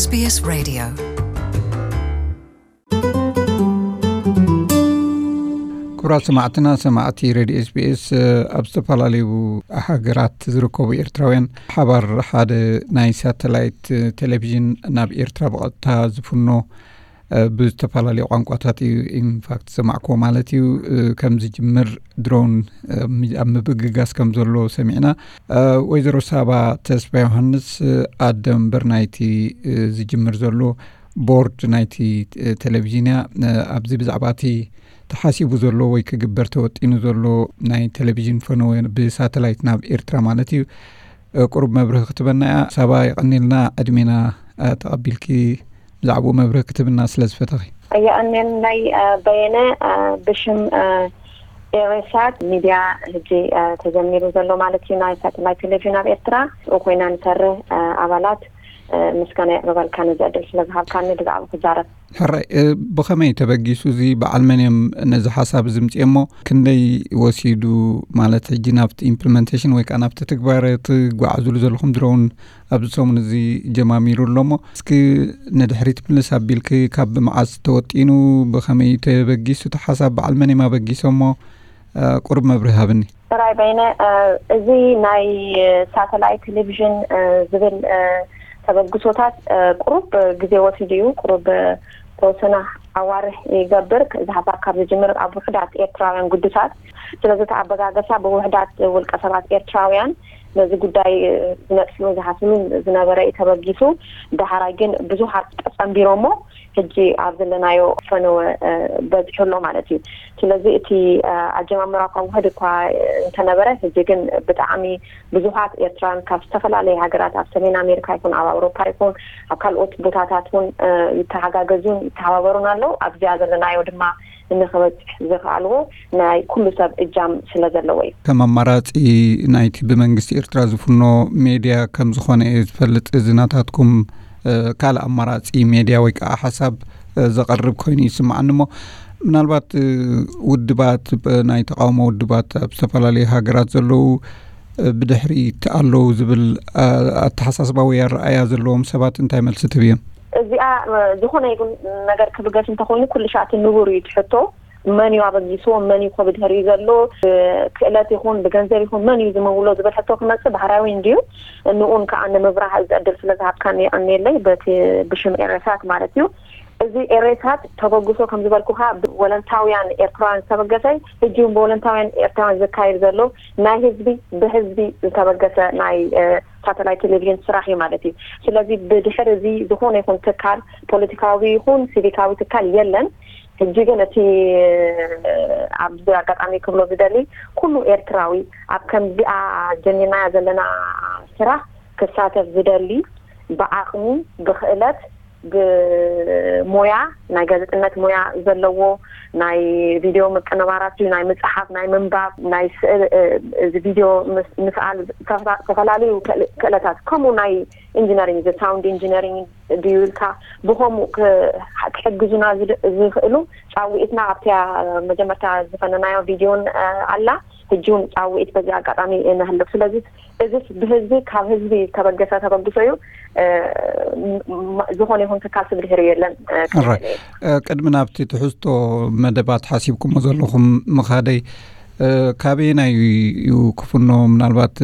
SBS Radio. ክቡራት ሰማዕትና፣ ሰማዕቲ ሬድዮ ኤስቢኤስ ኣብ ዝተፈላለዩ ሃገራት ዝርከቡ ኤርትራውያን ሓባር ሓደ ናይ ሳተላይት ቴሌቪዥን ናብ ኤርትራ ብቐጥታ ዝፍኖ ብዝተፈላለዩ ቋንቋታት እዩ ኢንፋክት ዝሰማዕክዎ ማለት እዩ። ከም ዝጅምር ድሮን ኣብ ምብግጋስ ከም ዘሎ ሰሚዕና። ወይዘሮ ሳባ ተስፋ ዮሃንስ ኣደ መንበር ናይቲ ዝጅምር ዘሎ ቦርድ ናይቲ ቴሌቪዥን እያ። ኣብዚ ብዛዕባ እቲ ተሓሲቡ ዘሎ ወይ ክግበር ተወጢኑ ዘሎ ናይ ቴሌቪዥን ፈነወ ብሳተላይት ናብ ኤርትራ ማለት እዩ ቁሩብ መብርሂ ክትበና እያ። ሳባ የቐኒልና ዕድሜና ተቐቢልኪ ብዛዕባኡ መብርሂ ክትብና ስለ ዝፈተኺ። የቐንየልናይ በየነ። ብሽም ኤሬሳት ሚድያ ሕጂ ተጀሚሩ ዘሎ ማለት እዩ ናይ ሳተላይት ቴሌቪዥን ኣብ ኤርትራ ኮይና ንሰርህ ኣባላት ምስጋና የቕርበልካ ነዚ ዕድል ስለ ዝሃብካኒ ብዛዕባ ክዛረብ። ሕራይ። ብኸመይ ተበጊሱ እዚ በዓል መን እዮም ነዚ ሓሳብ እዚ ምፅኦሞ? ክንደይ ወሲዱ ማለት ሕጂ ናብቲ ኢምፕሊመንቴሽን ወይ ከዓ ናብቲ ትግባረ ትጓዓዙሉ ዘለኹም ድሮውን ኣብዚ ሰሙን እዚ ጀማሚሩ ኣሎ እሞ እስኪ ንድሕሪት ምልስ ኣቢልኪ ካብ መዓስ ተወጢኑ ብኸመይ ተበጊሱ እቲ ሓሳብ በዓል መን እዮም ኣበጊሶሞ? ቁሩብ መብርሂ ሃብኒ። ጥራይ በይነ። እዚ ናይ ሳተላይት ቴሌቪዥን ዝብል ተበግሶታት ቁሩብ ግዜ ወሲዱ እዩ። ቁሩብ ተወሰነ ኣዋርሕ ይገብር እዚ ሓሳብ ካብ ዝጅምር ኣብ ውሕዳት ኤርትራውያን ጉድታት። ስለዚ እቲ ኣበጋገሳ ብውሕዳት ውልቀ ሰባት ኤርትራውያን ነዚ ጉዳይ ዝነጥፍሉ ዝሓስብሉ ዝነበረ እዩ ተበጊሱ። ዳሕራይ ግን ብዙሓት ተጸንቢሮሞ ሕጂ ኣብ ዘለናዮ ፈነወ በጺሑ ኣሎ ማለት እዩ። ስለዚ እቲ ኣጀማምራ እኳ ውሕድ እኳ እንተነበረ ሕጂ ግን ብጣዕሚ ብዙሓት ኤርትራውያን ካብ ዝተፈላለየ ሃገራት ኣብ ሰሜን ኣሜሪካ ይኹን ኣብ ኣውሮፓ ይኹን ኣብ ካልኦት ቦታታት እውን ይተሓጋገዙን ይተሓባበሩን ኣለዉ። ኣብዚኣ ዘለናዮ ድማ ንክበፅሕ ዝኽኣልዎ ናይ ኩሉ ሰብ እጃም ስለ ዘለዎ እዩ። ከም ኣማራፂ ናይቲ ብመንግስቲ ኤርትራ ዝፍኖ ሜድያ ከም ዝኾነ እየ ዝፈልጥ። እዚ ናታትኩም ካልእ ኣማራፂ ሜድያ ወይ ከዓ ሓሳብ ዘቐርብ ኮይኑ ይስምዓኒ እሞ ምናልባት ውድባት ናይ ተቃውሞ ውድባት ኣብ ዝተፈላለዩ ሃገራት ዘለዉ ብድሕሪት ኣለዉ ዝብል ኣተሓሳስባ ወይ ኣረኣያ ዘለዎም ሰባት እንታይ መልሲ ትህብዮም? እዚኣ ዝኾነ ይኹን ነገር ክብገስ እንተኾይኑ ኩሉ ሻዕ እቲ ንቡር እዩ ትሕቶ። መን እዩ ኣበጊስዎ? መን እዩ ኮ ብድሕሪኡ ዘሎ? ብክእለት ይኹን ብገንዘብ ይኹን መን እዩ ዝምውሎ ዝብል ሕቶ ክመጽእ ባህራዊ እንድዩ። ንኡን ከዓ ንምብራህ እዚ ዕድል ስለ ዝሃብካኒ የቐንየለይ በቲ ብሽም ኤረሳት ማለት እዩ። እዚ ኤሬሳት ተበግሶ ከም ዝበልኩኻ ብወለንታውያን ኤርትራውያን ዝተበገሰ ሕጂ እውን ብወለንታውያን ኤርትራውያን ዝካየድ ዘሎ ናይ ህዝቢ ብህዝቢ ዝተበገሰ ናይ ሳተላይት ቴሌቪዥን ስራሕ እዩ ማለት እዩ። ስለዚ ብድሕር እዚ ዝኾነ ይኹን ትካል ፖለቲካዊ ይኹን ሲቪካዊ ትካል የለን። ሕጂ ግን እቲ ኣብዚ ኣጋጣሚ ክብሎ ዝደሊ ኩሉ ኤርትራዊ ኣብ ከምዚኣ ጀሚርናያ ዘለና ስራሕ ክሳተፍ ዝደሊ ብዓቕሚ ብኽእለት ብሞያ ናይ ጋዜጠነት ሞያ ዘለዎ ናይ ቪድዮ ምቅንባራት እዩ ናይ ምፅሓፍ ናይ ምንባብ ናይ ስእል እዚ ቪድዮ ምስኣል ዝተፈላለዩ ክእለታት ከምኡ ናይ ኢንጂነሪንግ ሳውንድ ኢንጂነሪንግ ድዩ ኢልካ ብኸምኡ ክሕግዙና ዝኽእሉ ፃውዒትና ኣብቲያ መጀመርታ ዝፈነናዮ ቪድዮን ኣላ ሕጂ እውን ፃውዒት በዚ ኣጋጣሚ ነህልፍ ስለዚ እዚስ ብህዝቢ ካብ ህዝቢ ተበገሰ ተበግሶ እዩ። ዝኾነ ይኹን ትካል ስብድህር የለን። ቅድሚ ናብቲ ትሕዝቶ መደባት ሓሲብኩሞ ዘለኹም ምኻደይ ካበየናይ እዩ ክፍኖ? ምናልባት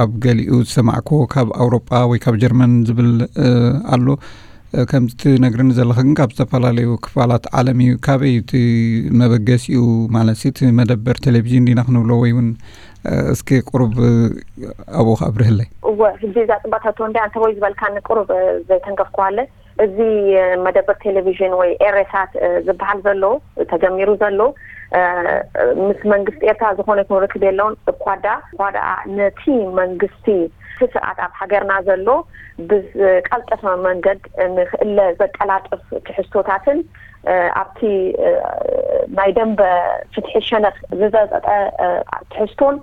ኣብ ገሊኡ ዝሰማዕክዎ ካብ ኣውሮጳ ወይ ካብ ጀርመን ዝብል ኣሎ። ከምዚ ትነግርኒ ዘለኺ ግን ካብ ዝተፈላለዩ ክፋላት ዓለም እዩ። ካበይ እቲ መበገሲኡ ማለት እቲ መደበር ቴሌቪዥን ዲና ክንብሎ ወይ እውን እስኪ ቁሩብ ኣብኡ ከኣብርህለይ። እወ፣ ሕጂ እዛ ጽባታቶ እንዲ ኣንተ ወይ ዝበልካኒ ቁሩብ ዘይተንከፍኩዋለ። እዚ መደበር ቴሌቪዥን ወይ ኤሬሳት ዝበሃል ዘሎ ተጀሚሩ ዘሎ ምስ መንግስቲ ኤርትራ ዝኾነ ይኹን ርክብ የለውን። እኳ ዳ እኳ ደኣ ነቲ መንግስቲ እቲ ስርዓት ኣብ ሃገርና ዘሎ ብዝቀልጠፈ መንገድ ንክእለ ዘቀላጥፍ ትሕዝቶታትን ኣብቲ ናይ ደንበ ፍትሒ ሸነኽ ዝዘጠጠ ትሕዝቶን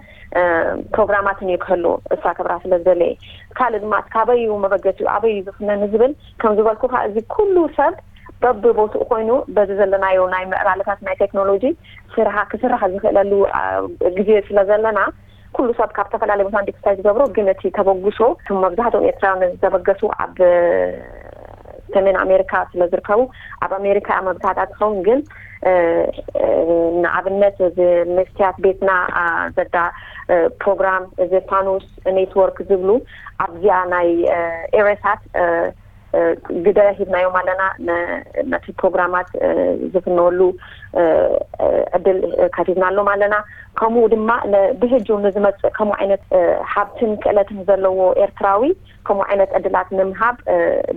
ፕሮግራማትን እዩ ክህሉ እሳ ክብራ ስለ ዝደለየ ካልእ ድማ ካበይ እዩ መበገሲኡ ኣበይ እዩ ዝፍነ ንዝብል ከም ዝበልኩ ከዓ እዚ ኩሉ ሰብ በብቦትኡ ኮይኑ በዚ ዘለናዮ ናይ ምዕባለታት ናይ ቴክኖሎጂ ስርሓ ክስራሕ ዝኽእለሉ ግዜ ስለ ዘለና ኩሉ ሰብ ካብ ዝተፈላለዩ ቦታ እንዲ ክስታይ ዝገብሮ ግን እቲ ተበግሶ መብዛሕትኦም ኤርትራውያን ዝተበገሱ ኣብ ሰሜን ኣሜሪካ ስለ ዝርከቡ፣ ኣብ ኣሜሪካ እያ መብዛሕትኣ ትኸውን። ግን ንኣብነት እዚ መስትያት ቤትና ዘዳ ፕሮግራም፣ እዚ ፋኑስ ኔትወርክ ዝብሉ ኣብዚኣ ናይ ኤሬሳት ግደ ሂብናዮም ኣለና። ነቲ ፕሮግራማት ዝፍነወሉ ዕድል ከፊትናሎም ኣለና። ከምኡ ድማ ብህጁ ንዝመፅእ ከምኡ ዓይነት ሃብትን ክእለትን ዘለዎ ኤርትራዊ ከምኡ ዓይነት ዕድላት ንምሃብ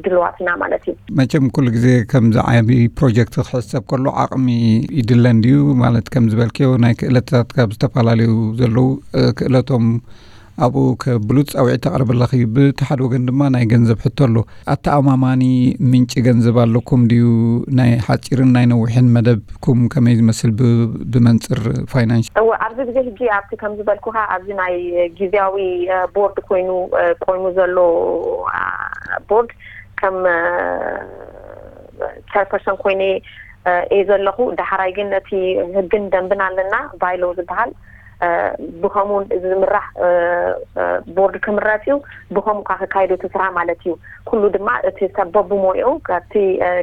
ድልዋት ኢና ማለት እዩ። መቸም ኩሉ ግዜ ከምዚ ዓቢ ፕሮጀክት ክሕሰብ ከሎ ዓቕሚ ይድለ እንድዩ። ማለት ከም ዝበልክዮ ናይ ክእለታት ካብ ዝተፈላለዩ ዘለዉ ክእለቶም ኣብኡ ከብሉ ፃውዒት ተቕርብ ኣለኺ። ብቲ ሓደ ወገን ድማ ናይ ገንዘብ ሕቶ ኣሎ። ኣተኣማማኒ ምንጪ ገንዘብ ኣለኩም ድዩ? ናይ ሓፂርን ናይ ነዊሕን መደብኩም ከመይ ዝመስል ብመንፅር ፋይናንስ? እወ ኣብዚ ግዜ ሕጂ ኣብቲ ከም ዝበልኩኻ ኣብዚ ናይ ግዜያዊ ቦርድ ኮይኑ ቆይሙ ዘሎ ቦርድ ከም ቸርፐርሰን ኮይነ እየ ዘለኹ። ዳሕራይ ግን እቲ ህግን ደንብን ኣለና፣ ባይሎ ዝበሃል ብኸምኡ ዝምራሕ ቦርድ ክምረፅ እዩ። ብኸምኡ ከዓ ክካይዱ እቲ ስራሕ ማለት እዩ። ኩሉ ድማ እቲ ሰብ በብሞይኡ ካብቲ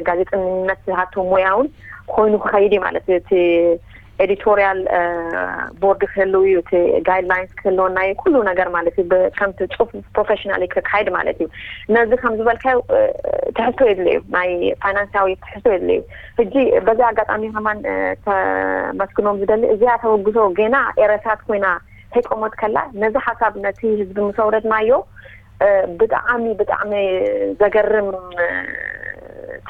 ጋዜጠኝነት ዝሃቶ ሞያ እውን ኮይኑ ክኸይድ እዩ ማለት እዩ። እቲ ኤዲቶሪያል ቦርድ ክህልው እዩ፣ እቲ ጋይድላይንስ ክህልወና እዩ፣ ኩሉ ነገር ማለት እዩ። ከምቲ ፅሑፍ ፕሮፌሽናሊ ክካይድ ማለት እዩ። ነዚ ከም ዝበልካዮ ትሕዝቶ የድልዩ፣ ናይ ፋይናንሳዊ ትሕዝቶ የድልዩ። ሕጂ በዚ ኣጋጣሚ ከማን ተመስግኖም ዝደሊ እዚኣ ተበግሶ ገና ኤረሳት ኮይና ከይቆመት ከላ ነዚ ሓሳብ ነቲ ህዝቢ ምስ ኣውረድናዮ ብጣዕሚ ብጣዕሚ ዘገርም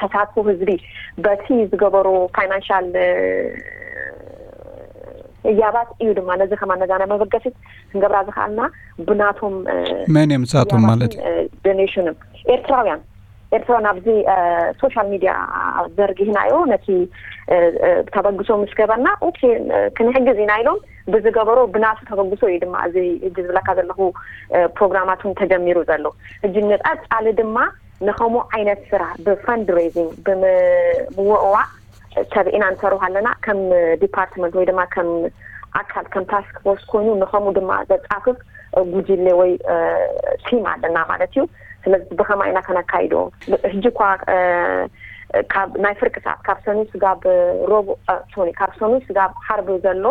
ተሳትፎ ህዝቢ በቲ ዝገበሩ ፋይናንሻል ህያባት እዩ ድማ ነዚ ከማን ነዛ ናይ መበገሲት ክንገብራ ዝኸኣልና ብናቶም መን እዮም ንሳቶም ማለት እዩ? ዶኔሽንም ኤርትራውያን ኤርትራን ኣብዚ ሶሻል ሚድያ ዘርጊህናዮ ነቲ ተበግሶ ምስ ገበርና ኦኬ ክንሕግዝ ኢና ኢሎም ብዝገበሮ ብናቱ ተበግሶ እዩ ድማ እዚ ህጂ ዝብለካ ዘለኹ ፕሮግራማት እውን ተጀሚሩ ዘሎ። ህጂ ንቐፃሊ ድማ ንኸምኡ ዓይነት ስራሕ ብፈንድሬዚንግ ብምውዕዋዕ ሰብ ኢና ንሰርሕ ኣለና። ከም ዲፓርትመንት ወይ ድማ ከም ኣካል ከም ታስክ ፎርስ ኮይኑ ንኸምኡ ድማ ዘፃፍፍ ጉጅለ ወይ ቲም ኣለና ማለት እዩ። ስለዚ ብኸማ ኢና ከነካይዶ ሕጂ እኳ ካብ ናይ ፍርቂ ሰዓት ካብ ሰኑይ ስጋብ ሮቡዕ ሶሪ ካብ ሰኑይ ስጋብ ሓርብ ዘሎ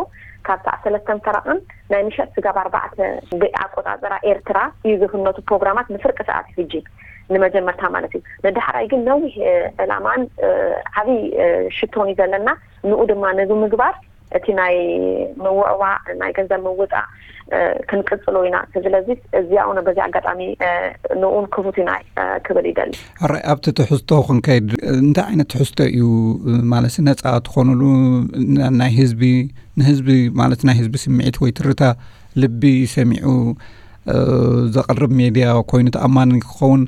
ካብ ሰዓት ሰለስተን ፈረቕን ናይ ምሸት ስጋብ ኣርባዕተ ብኣቆፃፅራ ኤርትራ እዩ ዝፍነቱ ፕሮግራማት ንፍርቂ ሰዓት እዩ ሕጂ ንመጀመርታ ማለት እዩ። ንዳሕራይ ግን ነዊሕ ዕላማን ዓብይ ሽቶን እዩ ዘለና። ንኡ ድማ ነዚ ምግባር እቲ ናይ ምውዕዋዕ ናይ ገንዘብ ምውፃእ ክንቅፅሎ ኢና። ስለዚ እዚኣ ነ በዚ ኣጋጣሚ ንኡን ክፉት ኢና ክብል ይደሊ። ሕራይ ኣብቲ ትሕዝቶ ክንከይድ እንታይ ዓይነት ትሕዝቶ እዩ ማለት ነፃ ትኾኑሉ ናይ ህዝቢ ንህዝቢ ማለት ናይ ህዝቢ ስምዒት ወይ ትርታ ልቢ ሰሚዑ ዘቕርብ ሜድያ ኮይኑ ተኣማኒ ክኸውን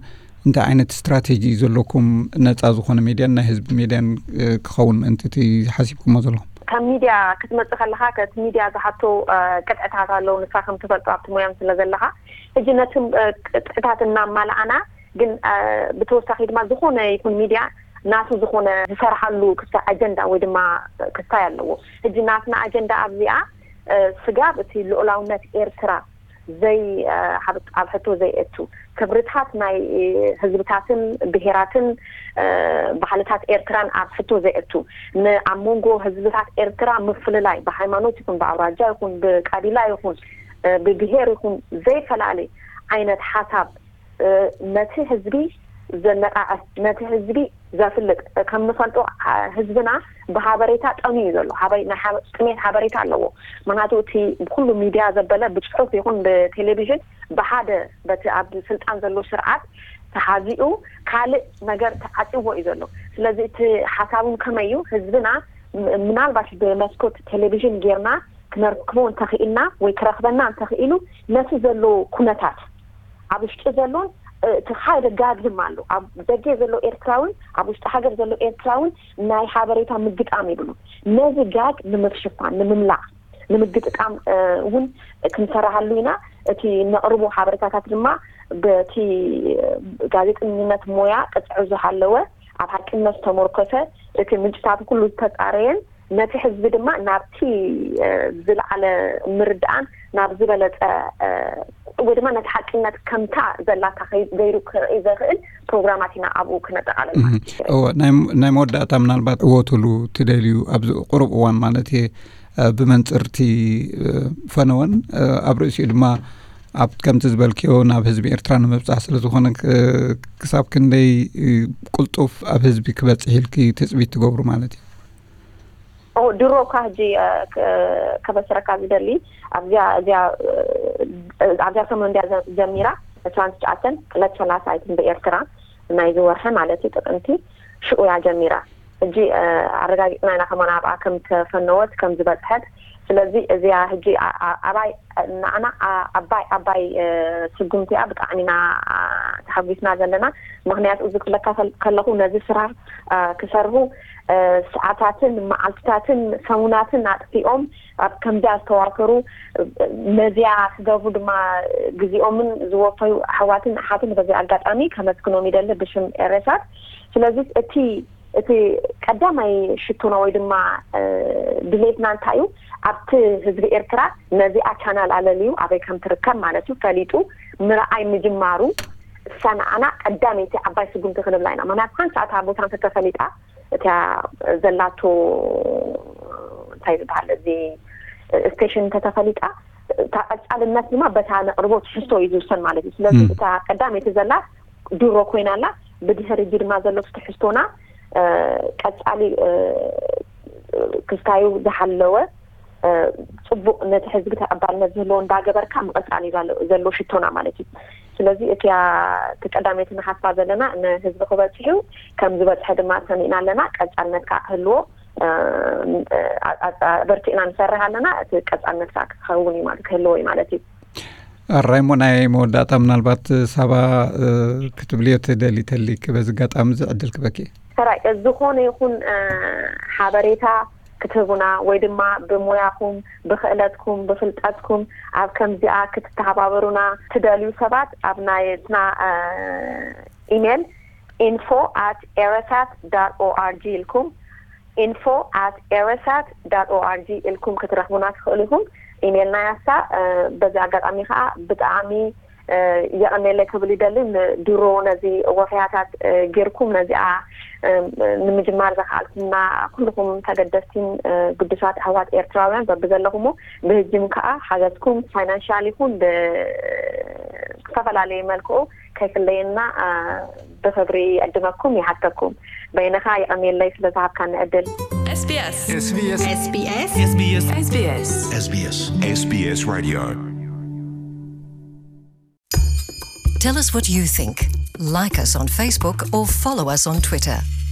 እንታይ ዓይነት ስትራቴጂ እዩ ዘለኩም ነፃ ዝኾነ ሜድያን ናይ ህዝቢ ሜድያን ክኸውን ምእንቲ እቲ ሓሲብኩሞ ዘለኹም? ከም ሚድያ ክትመፅእ ከለኻ ከቲ ሚድያ ዝሓቶ ቅጥዕታት ኣለዉ። ንስኻ ከም ትፈልጦ ኣብቲ ሞያም ስለ ዘለኻ ሕጂ ነቲ ቅጥዕታት እናማልኣና ግን ብተወሳኺ ድማ ዝኾነ ይኹን ሚድያ ናቱ ዝኾነ ዝሰርሓሉ ክስታይ ኣጀንዳ ወይ ድማ ክስታይ ኣለዎ። ሕጂ ናትና ኣጀንዳ ኣብዚኣ ስጋብ እቲ ልኡላውነት ኤርትራ ዘይ ኣብ ሕቶ ዘየእቱ ክብርታት ናይ ህዝብታትን ብሄራትን ባህልታት ኤርትራን ኣብ ሕቶ ዘየእቱ ንኣብ መንጎ ህዝብታት ኤርትራ ምፍልላይ ብሃይማኖት ይኹን ብኣውራጃ ይኹን ብቀቢላ ይኹን ብብሄር ይኹን ዘይፈላለ ዓይነት ሓሳብ ነቲ ህዝቢ ዘነቃቐ ነቲ ህዝቢ ዘፍልጥ ከም ንፈልጦ ህዝብና ብሃበሬታ ጠምዩ ዘሎ ጥሜት ሃበሬታ ኣለዎ። ምክንያቱ እቲ ብኩሉ ሚድያ ዘበለ ብፅሑፍ ይኹን ብቴሌቪዥን ብሓደ በቲ ኣብ ስልጣን ዘሎ ስርዓት ተሓዚኡ ካልእ ነገር ተዓፅዎ እዩ ዘሎ። ስለዚ እቲ ሓሳቡን ከመይ እዩ ህዝብና ምናልባሽ ብመስኮት ቴሌቪዥን ጌርና ክነርክቦ እንተኽኢልና ወይ ክረኽበና እንተኽኢሉ ነቲ ዘሎ ኩነታት ኣብ ውሽጢ ዘሎን እቲ ሓደ ጋግ ድማ ኣሎ ኣብ ደገ ዘሎ ኤርትራውን ኣብ ውሽጢ ሃገር ዘሎ ኤርትራውን ናይ ሓበሬታ ምግጣም ይብሉ። ነዚ ጋግ ንምፍሽፋን ንምምላእ ንምግጥጣም እውን ክንሰራሃሉ ኢና። እቲ ነቕርቦ ሓበሬታታት ድማ በቲ ጋዜጠኝነት ሞያ ቅፅዑ ዝሃለወ ኣብ ሓቅነት ዝተመርኮሰ እቲ ምንጭታቱ ኩሉ ዝተፃረየን ነቲ ህዝቢ ድማ ናብቲ ዝለዓለ ምርድኣን ናብ ዝበለፀ ወይ ድማ ነቲ ሓቅነት ከምታ ዘላታ ከይ- ገይሩ ክርኢ ዘኽእል ፕሮግራማት ኢና ኣብኡ ክነጠቓለል ማለት እዩ። እወ፣ ናይ ናይ መወዳእታ ምናልባት እወትሉ ትደልዩ ኣብዚ ቁሩብ እዋን ማለት እየ፣ እ፣ ብመንፅርቲ፣ እ፣ ፈነወን፣ እ፣ ኣብ ርእሲኡ ድማ ኣብ ከምቲ ዝበልክዮ ናብ ህዝቢ ኤርትራ ንምብፃሕ ስለ ዝኾነ፣ ክ- ክሳብ ክንደይ፣ እ፣ ቅልጡፍ ኣብ ህዝቢ ክበፅሕ ኢልኪ ትፅቢት ትገብሩ ማለት እዩ? ድሮ እኳ ሕጂ ከበስረካ ዝደሊ ኣብዚኣ እዚኣ ኣብዚኣ ሰሙን እንዲያ ጀሚራ። ዕስራን ትሽዓተን ዕለት ሰላሳ ኣይትን ብኤርትራ ናይዚ ወርሒ ማለት እዩ ጥቅምቲ ሽኡ እያ ጀሚራ። ሕጂ ኣረጋጊፅና ኢና ከማን ኣብኣ ከም ተፈነወት ከም ዝበፅሐት። ስለዚ እዚኣ ሕጂ ኣባይ ንዓና ኣባይ ኣባይ ስጉምቲ እያ። ብጣዕሚ ኢና ተሓጒስና ዘለና። ምክንያቱ እዚ ክብለካ ከለኹ ነዚ ስራሕ ክሰርሁ ሰዓታትን መዓልትታትን ሰሙናትን ኣጥፊኦም ኣብ ከምዚኣ ዝተዋፈሩ ነዚኣ ክገብሩ ድማ ግዜኦምን ዝወፈዩ ኣሕዋትን ኣሓትን በዚ ኣጋጣሚ ከመስግኖም ይደሊ ብሽም ኤረሳት። ስለዚ እቲ እቲ ቀዳማይ ሽቶና ወይ ድማ ድሌትና እንታይ እዩ? ኣብቲ ህዝቢ ኤርትራ ነዚኣ ቻናል ኣለልዩ ኣበይ ከም ትርከብ ማለት እዩ ፈሊጡ ምርኣይ ምጅማሩ እሳ ንዓና ቀዳመይቲ ዓባይ ስጉምቲ ክንብላ ኢና። ምክንያቱ ሓንቲ ሰዓት ቦታ እንተተፈሊጣ እቲያ ዘላቶ እንታይ ዝበሃል እዚ ስቴሽን እንተተፈሊጣ እታ ቀጻልነት ድማ በታ ነቕርቦ ትሕዝቶ እዩ ዝውሰን ማለት እዩ። ስለዚ እታ ቀዳመይቲ ዘላ ድሮ ኮይና ኣላ። ብድሕሪ ሕጂ ድማ ዘሎ ትሕዝቶና ቀጻሊ ክስታዩ ዝሓለወ ጽቡቕ ነቲ ህዝቢ ተቐባልነት ዝህልዎ እንዳገበርካ ምቕጻል እዩ ዘሎ ሽቶና ማለት እዩ። ስለዚ እቲያ እቲ ቀዳመይቲ ንሓስባ ዘለና ንህዝቢ ክበጽሕ እዩ። ከም ዝበጽሐ ድማ ሰሚዕና ኣለና። ቀጻልነት ከዓ ክህልዎ በርቲዕና ንሰርሕ ኣለና። እቲ ቀጻልነት ከዓ ክኸውን እዩ ማለት ክህልዎ እዩ ማለት እዩ። ኣራይሞ ናይ መወዳእታ ምናልባት ሳባ ክትብልዮ ትደሊ ተሊክ በዚ ኣጋጣሚ እዚ ዕድል ክበኪ። ሰራይ ዝኾነ ይኹን ሓበሬታ ክትህቡና ወይ ድማ ብሞያኹም ብክእለትኩም ብፍልጠትኩም ኣብ ከምዚኣ ክትተሓባበሩና ትደልዩ ሰባት ኣብ ናይ ትና ኢሜል info at erisat dot org ኢልኩም info at erisat dot org ኢልኩም ክትረኽቡና ትኽእሉ ኢኹም። ኢሜልና ያሳ በዚ ኣጋጣሚ ከዓ ብጣዕሚ የቐኔለ ክብል ይደሊ። ድሮ ነዚ ወፈያታት ጌርኩም ነዚኣ ንምጅማር ዘኽኣልኩምና ኩልኹም ተገደስቲን ግዱሳት ኣሕዋት ኤርትራውያን በብዘለኹሞ ብህጅም ከዓ ሓገዝኩም ፋይናንሻል ይኹን ብዝተፈላለየ መልክዑ ከይፍለየና ብኽብሪ ይዕድመኩም ይሓተኩም። በይነኻ የቐኔለይ ስለ ዝሃብካኒ ዕድል። SBS SBS SBS SBS SBS SBS SBS Radio. Tell us what you think. Like us on Facebook or follow us on Twitter.